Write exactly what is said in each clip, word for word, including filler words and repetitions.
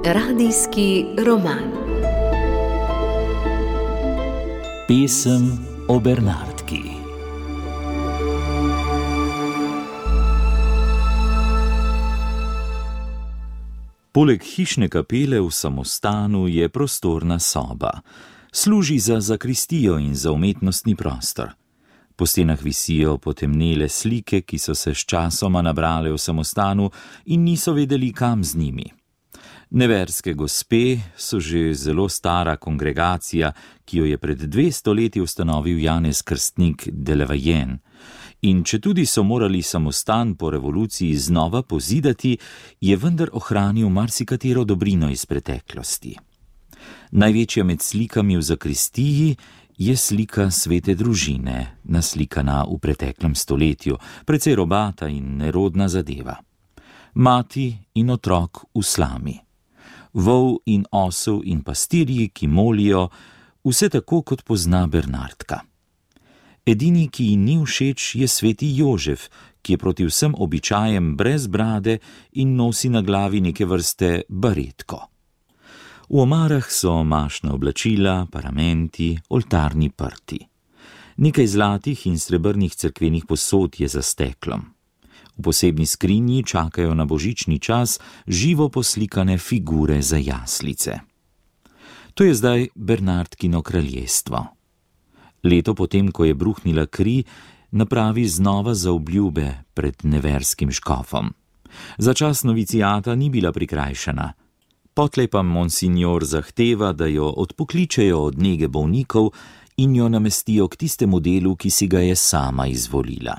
Radijski roman. Pesem o Bernardki. Poleg hišne kapele v samostanu je prostorna soba. Služi za zakristijo in za umetnostni prostor. Po stenah visijo potemnele slike, ki so se sčasoma nabrale v samostanu in niso vedeli, kam z njimi. Neverske gospe so že zelo stara kongregacija, ki jo je pred dvesto leti ustanovil Janez Krstnik de Lavallén. In četudi so morali samostan po revoluciji znova pozidati, je vendar ohranil marsikatero dobrino iz preteklosti. Največja med slikami v zakristiji je slika svete družine, naslikana v preteklem stoletju, precej robata in nerodna zadeva. Mati in otrok v slami. Vol in osel in pastirji, ki molijo, vse tako, kot pozna Bernardka. Edini, ki ji ni všeč, je sveti Jožef, ki je proti vsem običajem brez brade in nosi na glavi neke vrste baretko. V omarah so mašna oblačila, paramenti, oltarni prti. Nekaj zlatih in srebrnih cerkvenih posod je za steklom. V posebni skrinji čakajo na božični čas živo poslikane figure za jaslice. To je zdaj Bernardkino kraljestvo. Leto potem, ko je bruhnila kri, napravi znova zaobljube pred neverskim škofom. Za čas novicijata ni bila prikrajšana. Potlej pa monsignor zahteva, da jo odpokličejo od nege bolnikov in jo namestijo k tistemu delu, ki si ga je sama izvolila.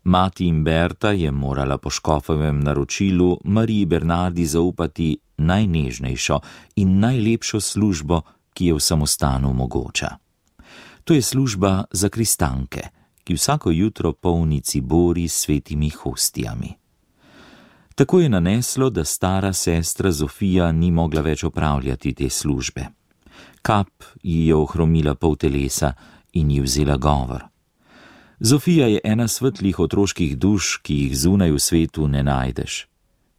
Mati Imberta je morala po škofovem naročilu Mariji Bernardi zaupati najnežnejšo in najlepšo službo, ki je v samostanu mogoča. To je služba zakristanke, ki vsako jutro polni cibori s svetimi hostijami. Tako je naneslo, da stara sestra Zofija ni mogla več opravljati te službe. Kap ji je ohromila pol telesa in ji vzela govor. Zofija je ena svetlih otroških duš, ki jih zunaj v svetu ne najdeš.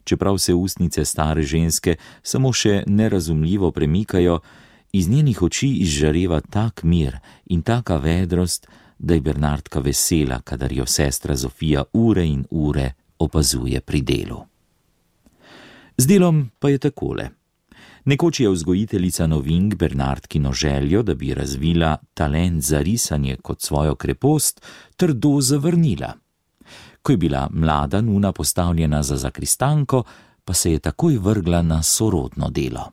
Čeprav se ustnice stare ženske samo še nerazumljivo premikajo, iz njenih oči izžareva tak mir in taka vedrost, da je Bernardka vesela, kadar jo sestra Zofija ure in ure opazuje pri delu. Z delom pa je takole. Nekoč je vzgojiteljica novink Bernardkino željo, da bi razvila talent za risanje kot svojo krepost, trdo zavrnila. Ko je bila mlada nuna postavljena za zakristanko, pa se je takoj vrgla na sorodno delo.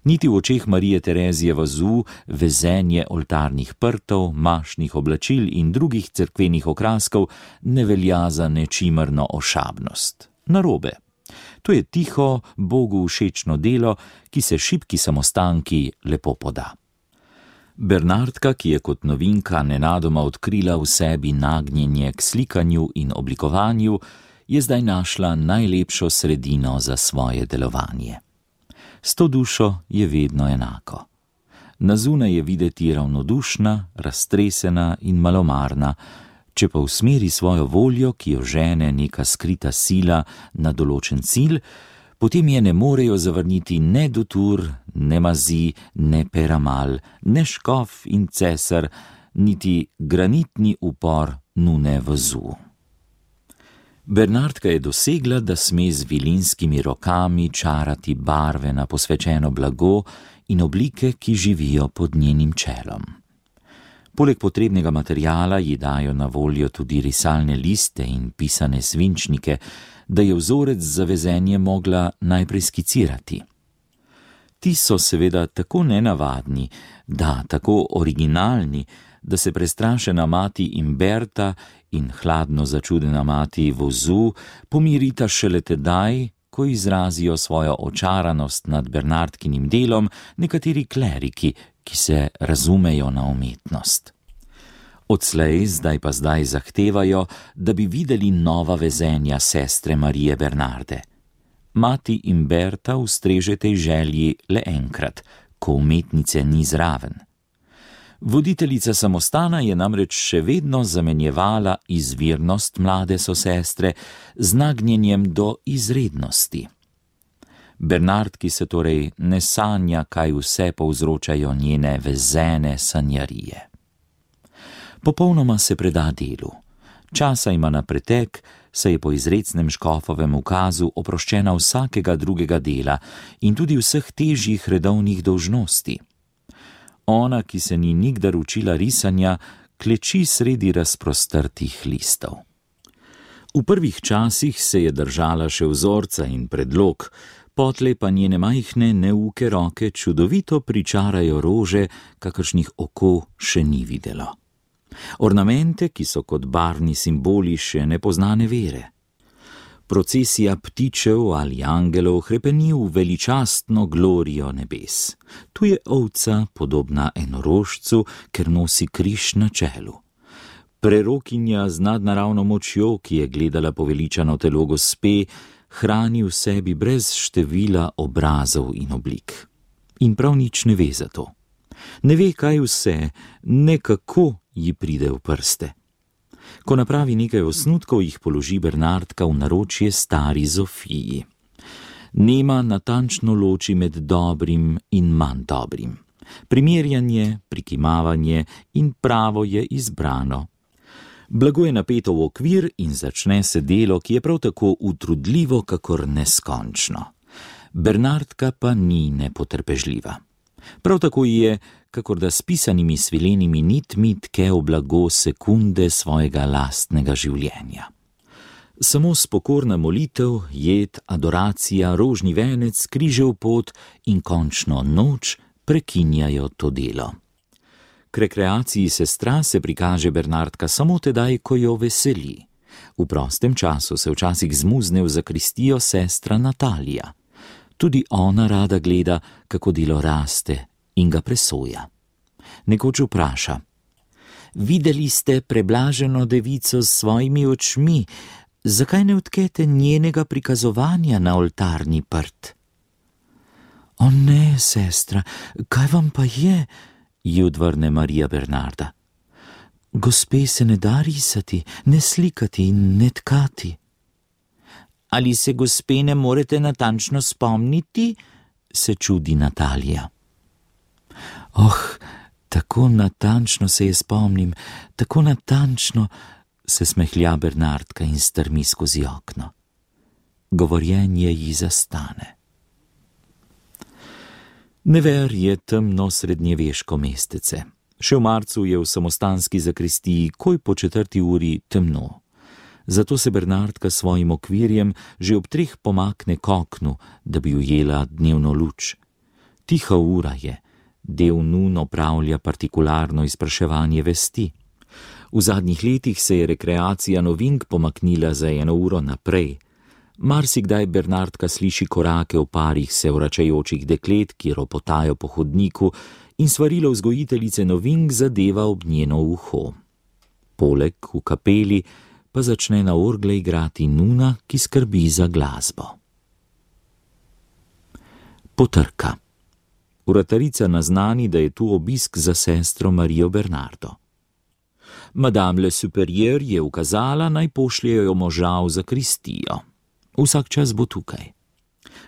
Niti v očeh Marije Terezije vazu vezenje oltarnih prtov, mašnih oblačil in drugih cerkvenih okraskov ne velja za nečimerno ošabnost. Narobe. To je tiho, Bogu všečno delo, ki se šibki samostanki lepo poda. Bernardka, ki je kot novinka nenadoma odkrila v sebi nagnjenje k slikanju in oblikovanju, je zdaj našla najlepšo sredino za svoje delovanje. S to dušo je vedno enako. Na zunaj je videti ravnodušna, raztresena in malomarna, če pa usmeri svojo voljo, ki jo žene neka skrita sila na določen cilj, potem je ne morejo zavrniti ne Dutour, ne Mazi, ne Peramal, ne škof in cesar, niti granitni upor nune vazu. Bernardka je dosegla, da sme z vilinskimi rokami čarati barve na posvečeno blago in oblike, ki živijo pod njenim čelom. Poleg potrebnega materiala ji dajo na voljo tudi risalne liste in pisane svinčnike, da je vzorec za vezenje mogla najprej skicirati. Ti so seveda tako nenavadni, da tako originalni, da se prestrašena mati Imberta in hladno začudena mati vozu pomirita šele tedaj, ko izrazijo svojo očaranost nad Bernardkinim delom nekateri kleriki, ki se razumejo na umetnost. Odslej, zdaj pa zdaj zahtevajo, da bi videli nova vezenja sestre Marije Bernarde. Mati Imberta ustreže tej želji le enkrat, ko umetnice ni zraven. Voditeljica samostana je namreč še vedno zamenjevala izvirnost mlade sosestre z nagnjenjem do izrednosti. Bernardki se torej ne sanja, kaj vse povzročajo njene vezene sanjarije. Popolnoma se preda delu. Časa ima na pretek, saj je po izrecnem škofovem ukazu oproščena vsakega drugega dela in tudi vseh težjih redovnih dolžnosti. Ona, ki se ni nikdar učila risanja, kleči sredi razprostrtih listov. V prvih časih se je držala še vzorca in predlog, potlej pa njene majhne neuke roke čudovito pričarajo rože, kakršnih oko še ni videlo. Ornamente, ki so kot barvni simboli še nepoznane vere. Procesija ptičev ali angelov hrepeni v veličastno glorijo nebes. Tu je ovca, podobna enorožcu, ker nosi križ na čelu. Prerokinja z nadnaravno močjo, ki je gledala poveličano telo gospe, hrani v sebi brez števila obrazov in oblik. In prav nič ne ve za to. Ne ve, kaj vse, ne kako ji pride v prste. Ko napravi nekaj osnutkov, jih položi Bernardka v naročje stari Zofiji. Nema natančno loči med dobrim in manj dobrim. Primerjanje, prikimavanje in pravo je izbrano. Blago je napeto v okvir in začne se delo, ki je prav tako utrudljivo, kakor neskončno. Bernardka pa ni nepotrpežljiva. Prav tako je, kakor da s pisanimi svilenimi nitmi tke v blago sekunde svojega lastnega življenja. Samo spokorna molitev, jed, adoracija, rožni venec, križev pot in končno noč prekinjajo to delo. K rekreaciji sestra se prikaže Bernardka samo tedaj, ko jo veseli. V prostem času se včasih zmuzne v zakristijo sestra Natalija. Tudi ona rada gleda, kako delo raste in ga presoja. Nekoč vpraša: videli ste preblaženo devico s svojimi očmi, zakaj ne odkete njenega prikazovanja na oltarni prt? O ne, sestra, kaj vam pa je? Ji odvrne Marija Bernarda. Gospe se ne da risati, ne slikati in ne tkati. Ali se gospe ne morete natančno spomniti? Se čudi Natalija. Oh, tako natančno se je spomnim, tako natančno, se smehlja Bernardka in strmi skozi okno. Govorjenje ji zastane. Never je temno srednjeveško mestece. Še v marcu je v samostanski zakristiji koj po četrti uri temno. Zato se Bernardka svojim okvirjem že ob treh pomakne k oknu, da bi ujela dnevno luč. Tiha ura je, del nun opravlja partikularno izpraševanje vesti. V zadnjih letih se je rekreacija novink pomaknila za eno uro naprej. Marsikdaj Bernardka sliši korake v parih se vračajočih deklet, ki ropotajo po hodniku, in svarilo vzgojiteljice novink zadeva ob njeno uho. Poleg v kapeli pa začne na orgle igrati nuna, ki skrbi za glasbo. Potrka. Uratarica naznani, da je tu obisk za sestro Marijo Bernardo. Madame le superieur je ukazala, naj pošljejo moža v zakristijo. Vsak čas bo tukaj.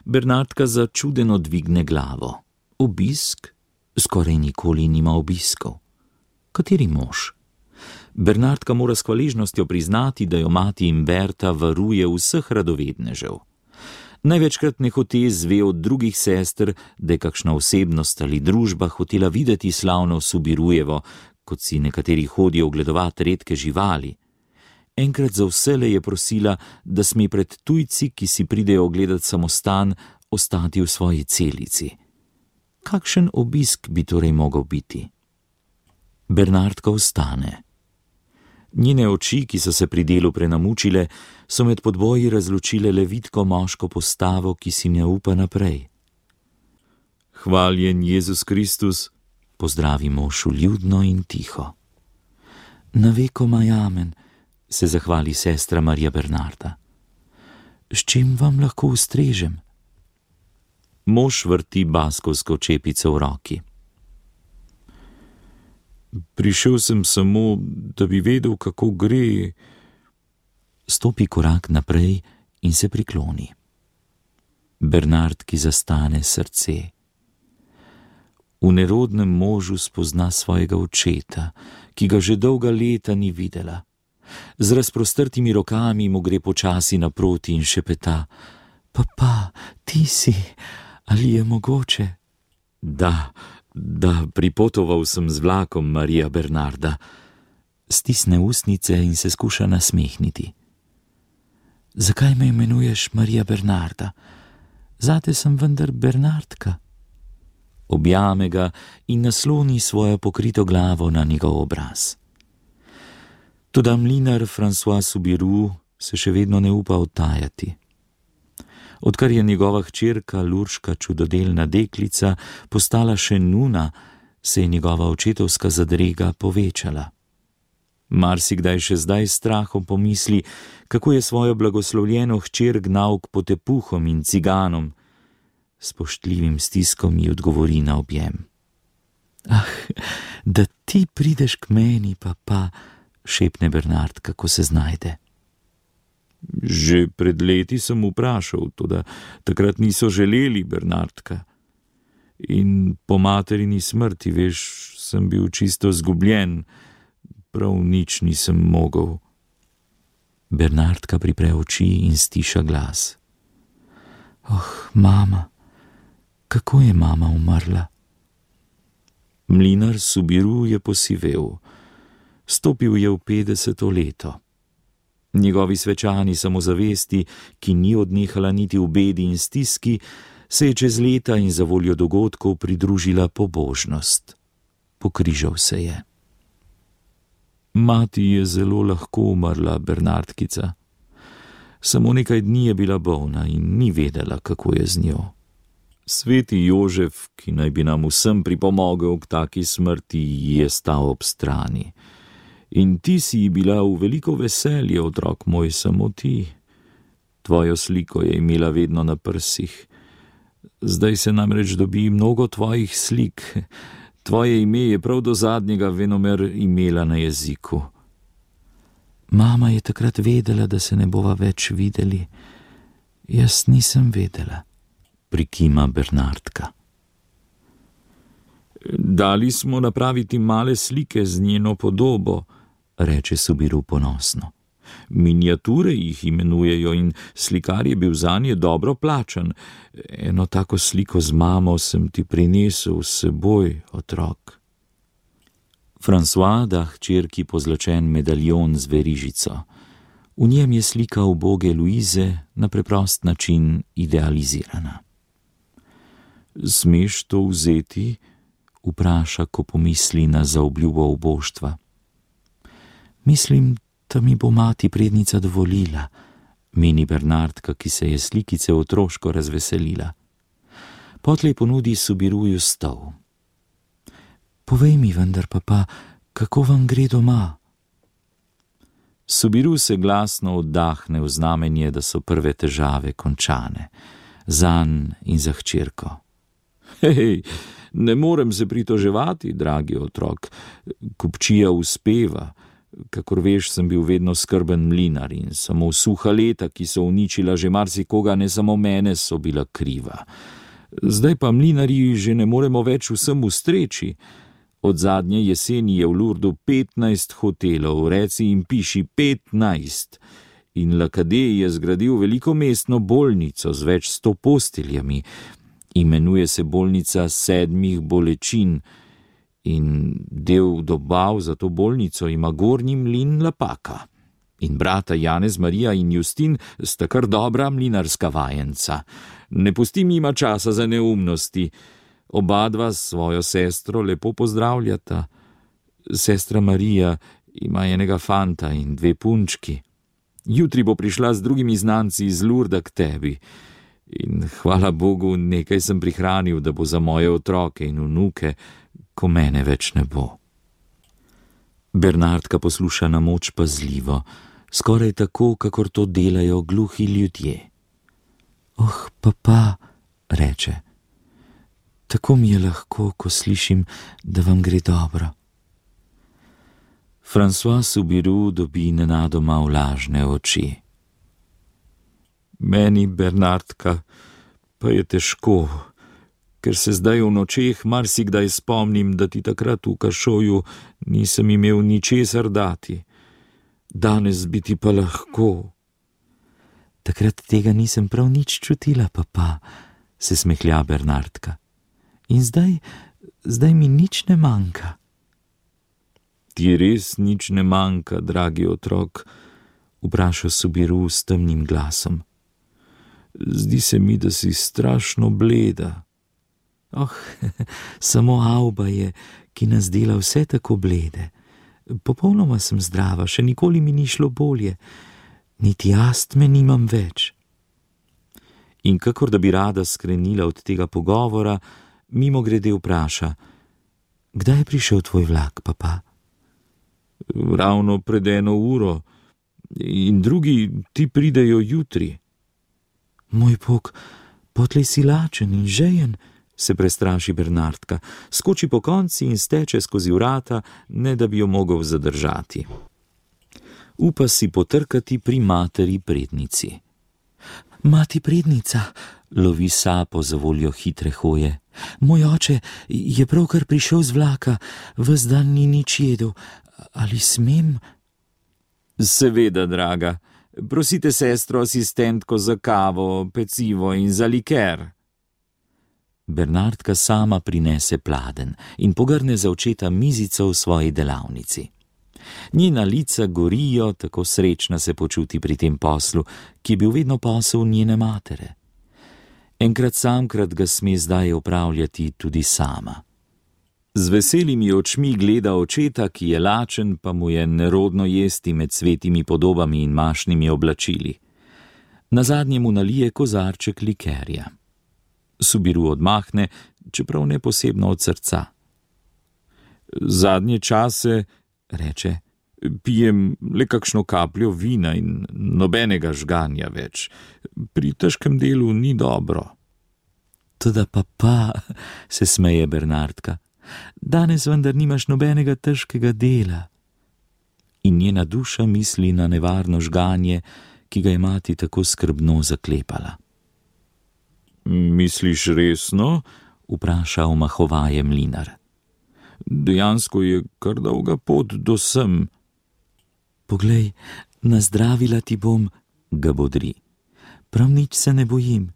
Bernardka začudeno dvigne glavo. Obisk? Skoraj nikoli nima obiskov. Kateri mož? Bernardka mora s hvaležnostjo priznati, da jo mati Imberta varuje vseh radovednežev. Največkrat nehote zve od drugih sester, da je kakšna osebnost ali družba hotela videti slavno Subirujevo, kot si nekateri hodijo ogledovati redke živali. Enkrat za vsele je prosila, da sme pred tujci, ki si pridejo ogledati samostan, ostati v svoji celici. Kakšen obisk bi torej mogel biti? Bernardka vstane. Njene oči, ki so se pri delu prenamučile, so med podboji razločile le vitko moško postavo, ki si ne upa naprej. Hvaljen Jezus Kristus, pozdravi mož vljudno in tiho. Na vekomaj amen, se zahvali sestra Marija Bernarda. S čim vam lahko ustrežem? Mož vrti baskovsko čepico v roki. Prišel sem samo, da bi vedel, kako gre. Stopi korak naprej in se prikloni. Bernard, ki zastane srce. V nerodnem možu spozna svojega očeta, ki ga že dolga leta ni videla. Z razprostrtimi rokami mu gre počasi naproti in šepeta: Papa, ti si, ali je mogoče? Da, da, pripotoval sem z vlakom, Marija Bernarda. Stisne ustnice in se skuša nasmehniti. Zakaj me imenuješ Marija Bernarda? Zate sem vendar Bernardka. Objame ga in nasloni svojo pokrito glavo na njegov obraz. Toda mlinar François Soubirous se še vedno ne upa odtajati. Odkar je njegova hčerka Lurška čudodelna deklica postala še nuna, se je njegova očetovska zadrega povečala. Marsikdaj še zdaj s strahom pomisli, kako je svojo blagoslovljeno hčer gnal k potepuhom in ciganom. Spoštljivim stiskom ji odgovori na objem. Ah, da ti prideš k meni, papa, šepne Bernard, kako se znajde. Že pred leti sem vprašal, toda takrat niso želeli, Bernardka. In po materini smrti, veš, sem bil čisto zgubljen, prav nič nisem mogel. Bernardka pripre oči in stiša glas. Oh, mama, kako je mama umrla? Mlinar Soubirous je posivel. Stopil je v petdeseto leto. Njegovi svečani samozavesti, ki ni odnehala niti v bedi in stiski, se je čez leta in za voljo dogodkov pridružila pobožnost. Pokrižal se je. Mati je zelo lahko umrla, Bernardkica. Samo nekaj dni je bila bolna in ni vedela, kako je z njo. Sveti Jožef, ki naj bi nam vsem pripomogel k taki smrti, je stal ob strani. In ti si ji bila v veliko veselje, otrok moj, samo ti. Tvojo sliko je imela vedno na prsih. Zdaj se namreč dobi mnogo tvojih slik. Tvoje ime je prav do zadnjega venomer imela na jeziku. Mama je takrat vedela, da se ne bova več videli. Jaz nisem vedela, prikima Bernardka. Dali smo napraviti male slike z njeno podobo, reče Soubirous ponosno. Miniature jih imenujejo in slikar je bil zanje dobro plačan. Eno tako sliko z mamo sem ti prinesel s seboj, otrok. François da hčerki pozlačen medaljon z verižico. V njem je slika uboge Luize na preprost način idealizirana. Smeš to vzeti? Vpraša, ko pomisli na zaobljubo uboštva. Mislim, da mi bo mati prednica dovolila, meni Bernardka, ki se je slikice otroško razveselila. Potlej ponudi Soubirousu stol. Povej mi vendar, papa, kako vam gre doma? Soubirous se glasno oddahne v znamenje, da so prve težave končane, zanj in za hčerko. Hej, ne morem se pritoževati, dragi otrok, kupčija uspeva. Kakor veš, sem bil vedno skrben mlinar in samo suha leta, ki so uničila že marsikoga, ne samo mene, so bila kriva. Zdaj pa mlinarji že ne moremo več vsem ustreči. Od zadnje jeseni je v Lourdu petnajst hotelov, reci in piši petnajst. In Lacadé je zgradil veliko mestno bolnico z več sto posteljami. Imenuje se bolnica sedmih bolečin. In del dobav za to bolnico ima Gornji mlin Lapaka. In brata Janez, Marija in Justin sta kar dobra mlinarska vajenca. Ne pustim jima časa za neumnosti. Oba dva svojo sestro lepo pozdravljata. Sestra Marija ima enega fanta in dve punčki. Jutri bo prišla z drugimi znanci iz Lourda k tebi. In hvala Bogu, nekaj sem prihranil, da bo za moje otroke in vnuke, ko mene več ne bo. Bernardka posluša na moč pazljivo, skoraj tako, kakor to delajo gluhi ljudje. Oh, papa, reče, tako mi je lahko, ko slišim, da vam gre dobro. François Subiru dobi nenadoma vlažne oči. Meni, Bernardka, pa je težko, ker se zdaj v nočeh marsikdaj spomnim, da ti takrat v Kašoju nisem imel ničesar dati. Danes bi ti pa lahko. Takrat tega nisem prav nič čutila, papa, se smehlja Bernardka. In zdaj, zdaj mi nič ne manjka. Ti res nič ne manjka, dragi otrok, vpraša Subiru s temnim glasom. Zdi se mi, da si strašno bleda. Oh, samo Auba je, ki nas dela vse tako blede. Popolnoma sem zdrava, še nikoli mi ni šlo bolje. Niti astme nimam več. In kakor da bi rada skrenila od tega pogovora, mimogrede vpraša: Kdaj je prišel tvoj vlak, papa? Ravno pred eno uro. In drugi ti pridejo jutri. Moj bog, potlej si lačen in žejen, se prestraši Bernardka, skoči po konci in steče skozi vrata, ne da bi jo mogel zadržati. Upa si potrkati pri materi prednici. Mati prednica, lovi sapo za voljo hitre hoje. Moj oče je pravkar prišel z vlaka, ves dan ni nič jedel. Ali smem? Seveda, draga. Prosite sestro asistentko za kavo, pecivo in za liker. Bernardka sama prinese pladenj in pogrne za očeta mizico v svoji delavnici. Njena lica gorijo, tako srečna se počuti pri tem poslu, ki je bil vedno posel njene matere. Enkrat samkrat ga sme zdaj opravljati tudi sama. Z veselimi očmi gleda očeta, ki je lačen, pa mu je nerodno jesti med svetimi podobami in mašnimi oblačili. Nazadnje mu nalije kozarček likerja. Subiru odmahne, čeprav ne posebno od srca. Zadnje čase, reče, pijem le kakšno kapljo vina in nobenega žganja več. Pri težkem delu ni dobro. Toda papa, se smeje Bernardka, danes vendar nimaš nobenega težkega dela. In njena duša misli na nevarno žganje, ki ga je mati tako skrbno zaklepala. Misliš resno? Vpraša omahovaje mlinar. Dejansko je kar dolga pot do sem. Poglej, nazdravila ti bom, ga bodri. Prav nič se ne bojim.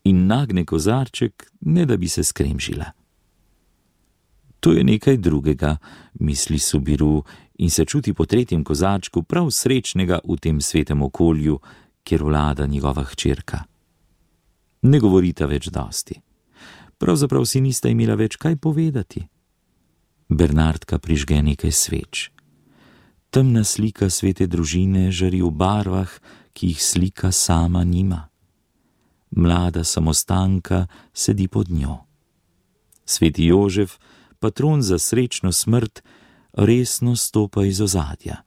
In nagne kozarček, ne da bi se skremžila. To je nekaj drugega, misli Subiru in se čuti po tretjem kozarčku prav srečnega v tem svetem okolju, kjer vlada njegova hčerka. Ne govorita več dosti. Pravzaprav si nista imela več kaj povedati. Bernardka prižge nekaj sveč. Temna slika svete družine žari v barvah, ki jih slika sama nima. Mlada samostanka sedi pod njo. Sveti Jožef, patron za srečno smrt, resno stopa iz ozadja.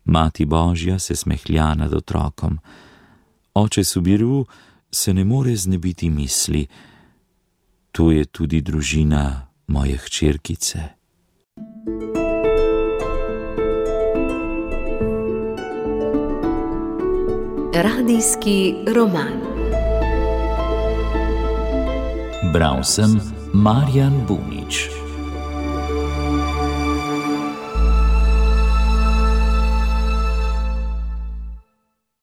Mati Božja se smehlja nad otrokom. Oče Subiru se ne more znebiti misli: to je tudi družina moje hčerkice. Radijski roman. Bral sem Marjan Bunič.